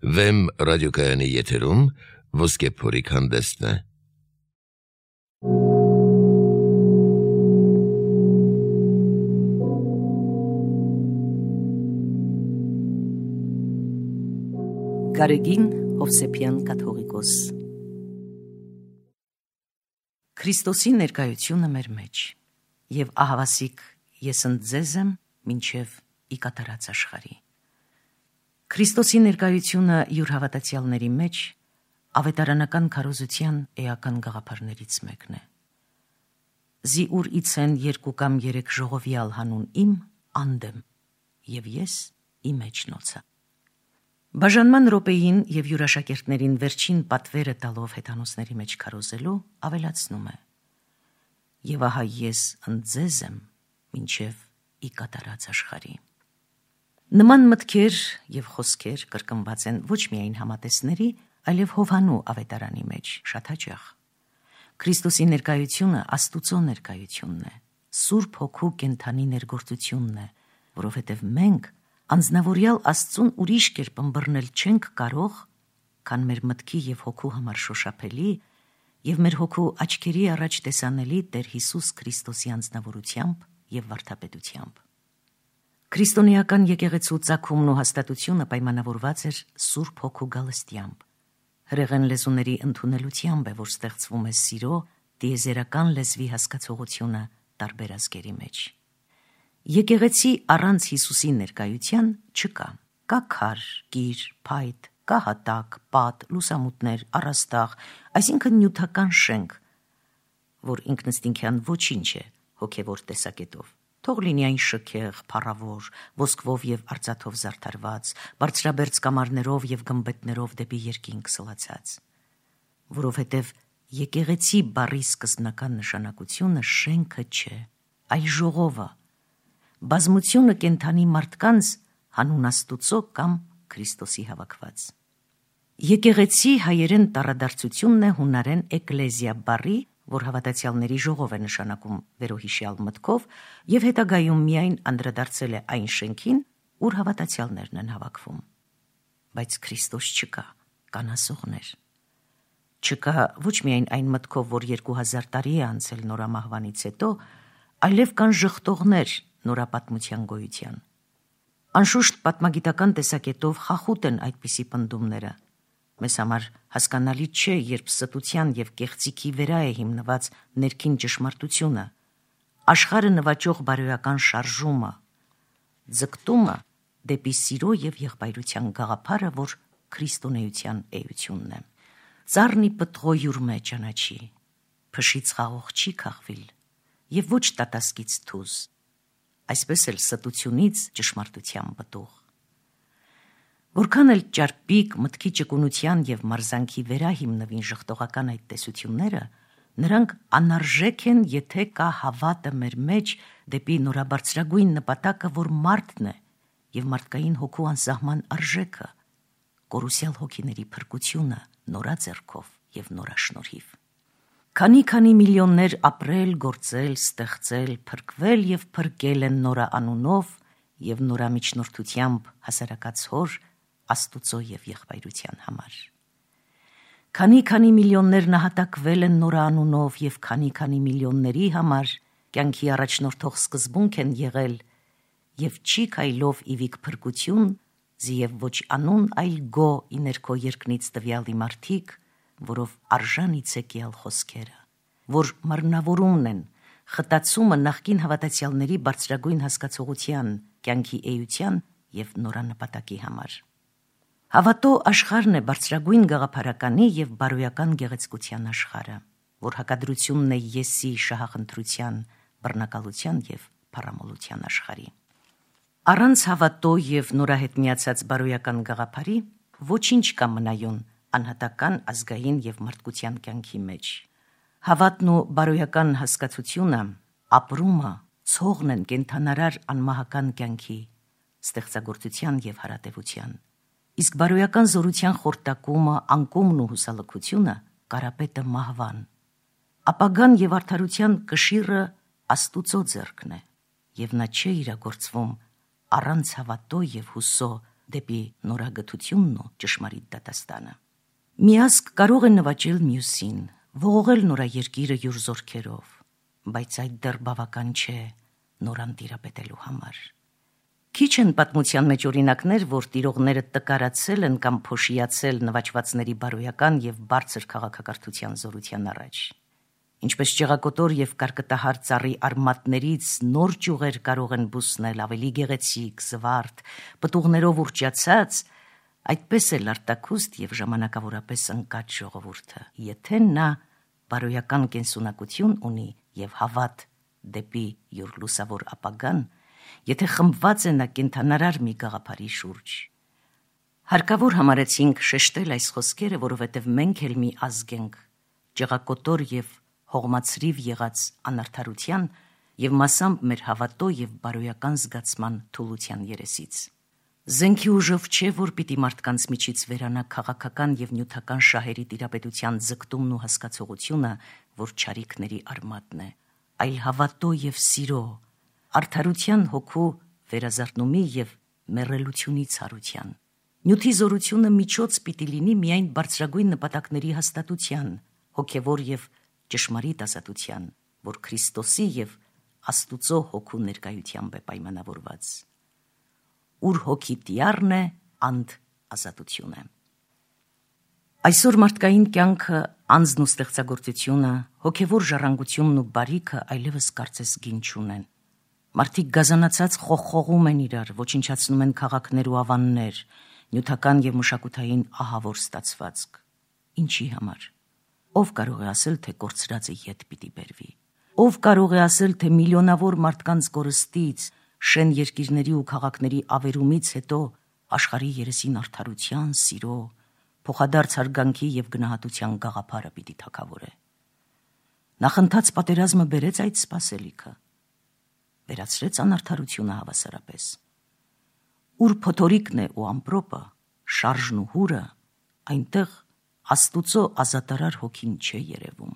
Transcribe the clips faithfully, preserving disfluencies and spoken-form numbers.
Վեմ ռադիոկայանի եթերում ոսկե փորիկ հանդեսն է։ Գարեգին Հովսեփյան կաթողիկոս։ Քրիստոսի ներկայությունը մեր մեջ, եւ ահավասիկ ես ընձեզ եմ մինչև ի կատարած աշխարհի։ Քրիստոսի ներկայությունը յուր հավատացյալների մեջ ավետարանական քարոզության էական գաղափարներից մեկն է։ Զի ուր իցեն երկու կամ երեք ժողովյալ հանուն իմ անդեմ, եւ ես իմ մեջ նոցա։ Բաժանման րոպեին եւ յուրաշակերտներին վերջին պատվերը տալով հեթանոսների մեջ քարոզելու ավելացնում է. Եվ ահա ես ընձեզ եմ մինչև ի կատարած աշխարհի։ Նման մտքեր եւ խոսքեր կրկնված են ոչ միայն համատեսների, այլև Հովհաննու ավետարանի մեջ շատ հաճախ։ Քրիստոսի ներկայությունը Աստուծո ներկայությունն է, Սուրբ Հոգու կենթանի ներգործությունն է, որովհետեւ մենք անձնավորյալ Աստծուն ուրիշ կերպ ըմբռնել չենք կարող, քան մեր մտքի եւ հոգու համար շոշափելի եւ մեր հոգու աչքերի առաջ տեսանելի Տեր Հիսուս Քրիստոսի անձնավորությամբ եւ վարդապետությամբ։ Քրիստոնեական եկեղեցու ծագումն ու հաստատությունը պայմանավորված էր Սուրբ Հոգու գալստյամբ։ Հրեղեն լեզուների ընդունելությամբ է, որ ստեղծվում է սիրո տիեզերական լեզվի հասկացողությունը տարբեր ազգերի մեջ։ Եկեղեցի առանց Հիսուսի ներկայության չկա։ Կա քար, գիր, փայտ, կա հատակ, պատ, լուսամուտներ, առաստաղ, այսինքն նյութական շենք, որ ինքնըստինքյան ոչինչ է հոգևոր տեսակետով։ Թող լինի այն շքեղ, փառավոր, ոսկվով եւ արծաթով զարդարված, բարձրաբերձ կամարներով եւ գմբեթներով դեպի երկինք սլացած։ Որովհետեւ եկեղեցի բառի սկզբնական նշանակությունը շենքը չէ, այլ ժողովը, բազմությունը կենթանի մարդկանց հանուն Աստուծո կամ Քրիստոսի հավաքված։ Եկեղեցի հայերեն տառադարձությունն է հունարեն էկլեզիա բառի, որ հավատացյալների ժողով է նշանակում վերոհիշյալ մտքով եւ հետագայում միայն անդրադարձել է այն շենքին, ուր հավատացյալներն են հավաքվում։ Բայց Քրիստոս չկա, կան ասողներ։ Չկա ոչ միայն այն մտքով, որ երկու հազար տարի է անցել նորամահվանից հետո, այլև կան ժխտողներ նորապատմության գոյության։ Անշուշտ պատմագիտական տեսակետով խախուտ են այդպիսի պնդումները։ Մեզ համար հասկանալի չէ, երբ ստության եւ կեղծիքի վրա է հիմնված ներքին ճշմարտությունը, աշխարհը նվաճող բարոյական շարժումը, ձգտումը դեպի սիրո եւ եղբայրության գաղափարը, որ քրիստոնեության էությունն է։ Ծառնի պտղոյուր մեջ ճանաչի, փշից խաղող չի քաղվիլ եւ ոչ տատասկից թուզ, այսպես էլ ստությունից ճշմարտության պտուղ։ Որքան էլ ճարպիկ մտքի ճկունության եւ մարզանքի վրա հիմնվին ժխտողական այդ տեսությունները, նրանք անարժեք են, եթե կա հավատը մեր մեջ դեպի նորաբարձրագույն նպատակը, որ մարդն է եւ մարդկային հոգու անսահման արժեքը, կորուսյալ հոգիների փրկությունը նորաձեռքով եւ նորաշնորհիվ։ Քանի-քանի միլիոններ ապրել, գործել, ստեղծել, փրկվել եւ փրկել են նորա անունով եւ նորա միջնորդությամբ հասարակած հոր Աստուծո եւ եղբայրության համար։ Քանի-քանի միլիոններ նահատակվել են նորա անունով եւ քանի-քանի միլիոնների համար կյանքի առաջնորդող սկզբունք են եղել եւ չի քայլով իվիկ փրկություն, զիև ոչ անուն, այլ գո ի ներքո երկնից տվյալի մարդիկ, որով արժանից է կյալ խոսքերը, որ մռնավորումն են, խտացումը նախկին հավատացյալների բարձրագույն հասկացողության, կյանքի էության եւ նորանպատակի համար։ Հավատո աշխարհն է բարձրագույն գաղափարականի եւ բարոյական գեղեցկության աշխարհը, որ հակադրությունն է եսի շահախնդրության, բռնակալության եւ փառամոլության աշխարհի։ Առանց հավատո եւ նորահետ միացած բարոյական գաղափարի ոչինչ կա մնայուն անհատական, ազգային եւ մարդկության կյանքի մեջ։ Հավատն ու բարոյական հասկացությունը, ապրումը, ցողն են կենթանարար անմահական կյանքի, ստեղծագործության եւ հարատեվության։ Իսկ բարոյական զորության խորտակումը, անկումն ու հուսալքությունը կարապետը մահվան։ Ապագան եւ արդարության կշիռը Աստուծո ձեռքն է, եւ նա չէ իրագործվում առանց հավատո եւ հուսո դեպի նորագթությունն ու ճշմարիտ դատաստանը։ Մի ազգ կարող է նվաճել մյուսին, ողողել նորաերկիրը յուր զորքերով, բայց այդ դեռ բավական չէ նորան տիրապետելու համար։ Քիչ են պատմության մեջ օրինակներ, որ տիրողները տկարացել են կամ փոշիացել նվաճվածների բարոյական եւ բարձր քաղաքակրթության զորության առաջ։ Ինչպես ճեղակոտոր եւ կարկտահար ծառի արմատներից նոր ճյուղեր կարող են բուսնել ավելի գեղեցիկ, զվարթ, պտուղներով ուռճացած, այդպես էլ արտաքուստ եւ ժամանակավորապես ընկած ժողովուրդը, եթե նա բարոյական կենսունակություն ունի եւ հավատ դեպի յուր լուսավոր ապագան, եթե խմբված է նա կենթանարար մի գաղափարի շուրջ։ Հարկավոր համարեցինք շեշտել այս խոսքերը, որովհետև մենք էլ մի ազգ ենք, ճեղակոտոր եւ հողմացրիվ եղած անարդարության եւ մասամբ մեր հավատո եւ բարոյական զգացման թուլության երեսից։ Զենքի ուժով չէ, որ պիտի մարդկանց միջից վերանա քաղաքական եւ նյութական շահերի տիրապետության ձգտումն ու հասկացողությունը, որ չարիքների արմատն է, այլ հավատո եւ սիրո, արդարության հոգու վերազարթնումի եւ մեռելությունի ցարության։ Նյութի զորությունը միջոց պիտի լինի միայն բարձրագույն նպատակների հաստատության, հոգևոր եւ ճշմարիտ ազատության, որ Քրիստոսի եւ Աստուծո հոգու ներկայությամբ է պայմանավորված։ Ուր հոգի տիառն է, անդ ազատություն է։ Այսօր մարդկային կյանքը, անձն ու ստեղծագործությունը, հոգևոր ժառանգությունն ու բարիքը այլևս կարծես գին չունեն։ Մարդիկ գազանացած խողխողում են իրար, ոչնչացնում են քաղաքներ ու ավաններ, նյութական եւ մշակութային ահավոր ստացվածք։ Ինչի համար։ Ով կարող է ասել, թե կորցրածը ետ պիտի բերվի։ Ով կարող է ասել, թե միլիոնավոր մարդկանց կորստից, շեն երկիրների ու քաղաքների ավերումից հետո աշխարհի երեսին արդարության, սիրո, փոխադարձ հարգանքի եւ գնահատության գաղափարը պիտի թակավորե։ Նախընթաց պատերազմը բերեց այդ սպասելիքը, վերացրեց անարդարությունը հավասարապես։ Ուր փոթորիկն է ու ամպրոպը, շարժն ու հուրը, այնտեղ Աստուծո ազատարար հոգին չէ երևում,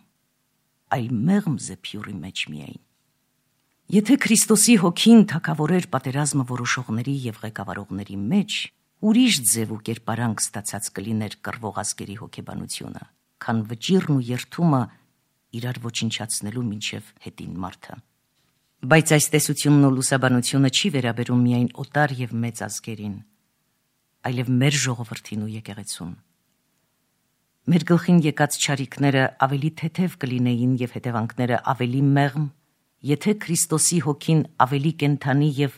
այլ մեղմ զեփյուրի մեջ միայն։ Եթե Քրիստոսի հոգին թակավորեր պատերազմը որոշողների եւ ղեկավարողների մեջ, ուրիշ ձև ու կերպարանք ստացած կլիներ կռվող ազգերի հոգեբանությունը, քան վճիռն ու երթումը իրար ոչնչացնելու մինչև հետին մարդը։ Բայց այս տեսությունն ու լուսաբանությունը չի վերաբերում միայն օտար եւ մեծ ազգերին, այլև մեր ժողովրդին ու եկեղեցուն։ Մեր գլխին եկած չարիքները ավելի թեթև կլինեին եւ հետևանքները ավելի մեղմ, եթե Քրիստոսի հոգին ավելի կենթանի եւ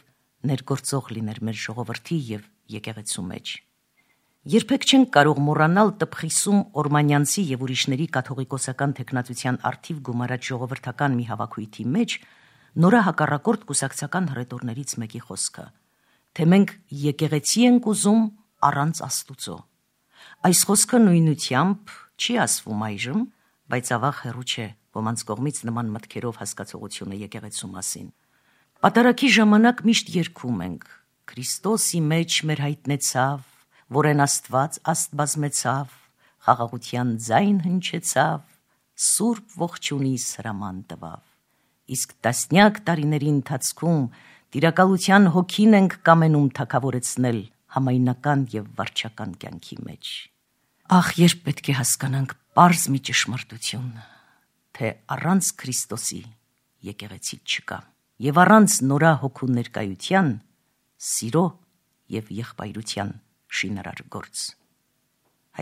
ներգործող լիներ մեր ժողովրդի եւ եկեղեցու մեջ։ Երբեք չենք կարող մոռանալ տպխիսում օրմանյանցի եւ ուրիշների կաթողիկոսական թեկնածության արդիվ գումարած ժողովրդական մի հավաքույթի մեջ նորահակառակորդ կուսակցական հռետորներից մեկի խոսքը, թե մենք եկեղեցի ենք ուզում առանց Աստուծո։ Այս խոսքը նույնությամբ չի ասվում այժմ, բայց ավաղ հեռու չէ ոմանց կողմից նման մտքերով հասկացողությունը եկեղեցու մասին։ Պատարագի ժամանակ միշտ երգում ենք. Քրիստոսի մեջ մեր հայտնեցավ, որեն Աստված աստ բազմեցավ, խաղաղության ձայն հնչեցավ, սուրբ ողջունի սրաման տվավ։ Իսկ տասնյակ տարիների ընթացքում տիրակալության հոգին ենք կամենում թակավորեցնել համայնական եւ վարչական կյանքի մեջ։ Ախ, երբ պետք է հասկանանք պարզ մի ճշմարտություն, թե առանց Քրիստոսի եկեղեցի չկա, եւ առանց նորա հոգու ներկայության սիրո եւ եղբայրության շինարար գործ։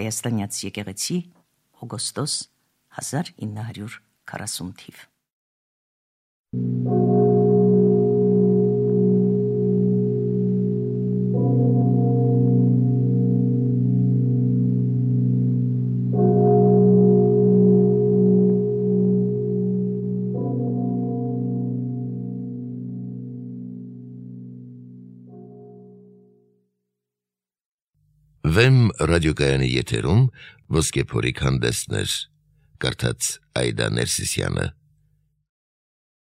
Հայաստանյաց եկեղեցի, օգոստոս հազար ինը հարյուր քառասուն թիվ։ Վեմ ռադիոկայանի եթերում ոսկե փորիկ հանդեսներ, կարդաց Այդա Ներսիսյանը։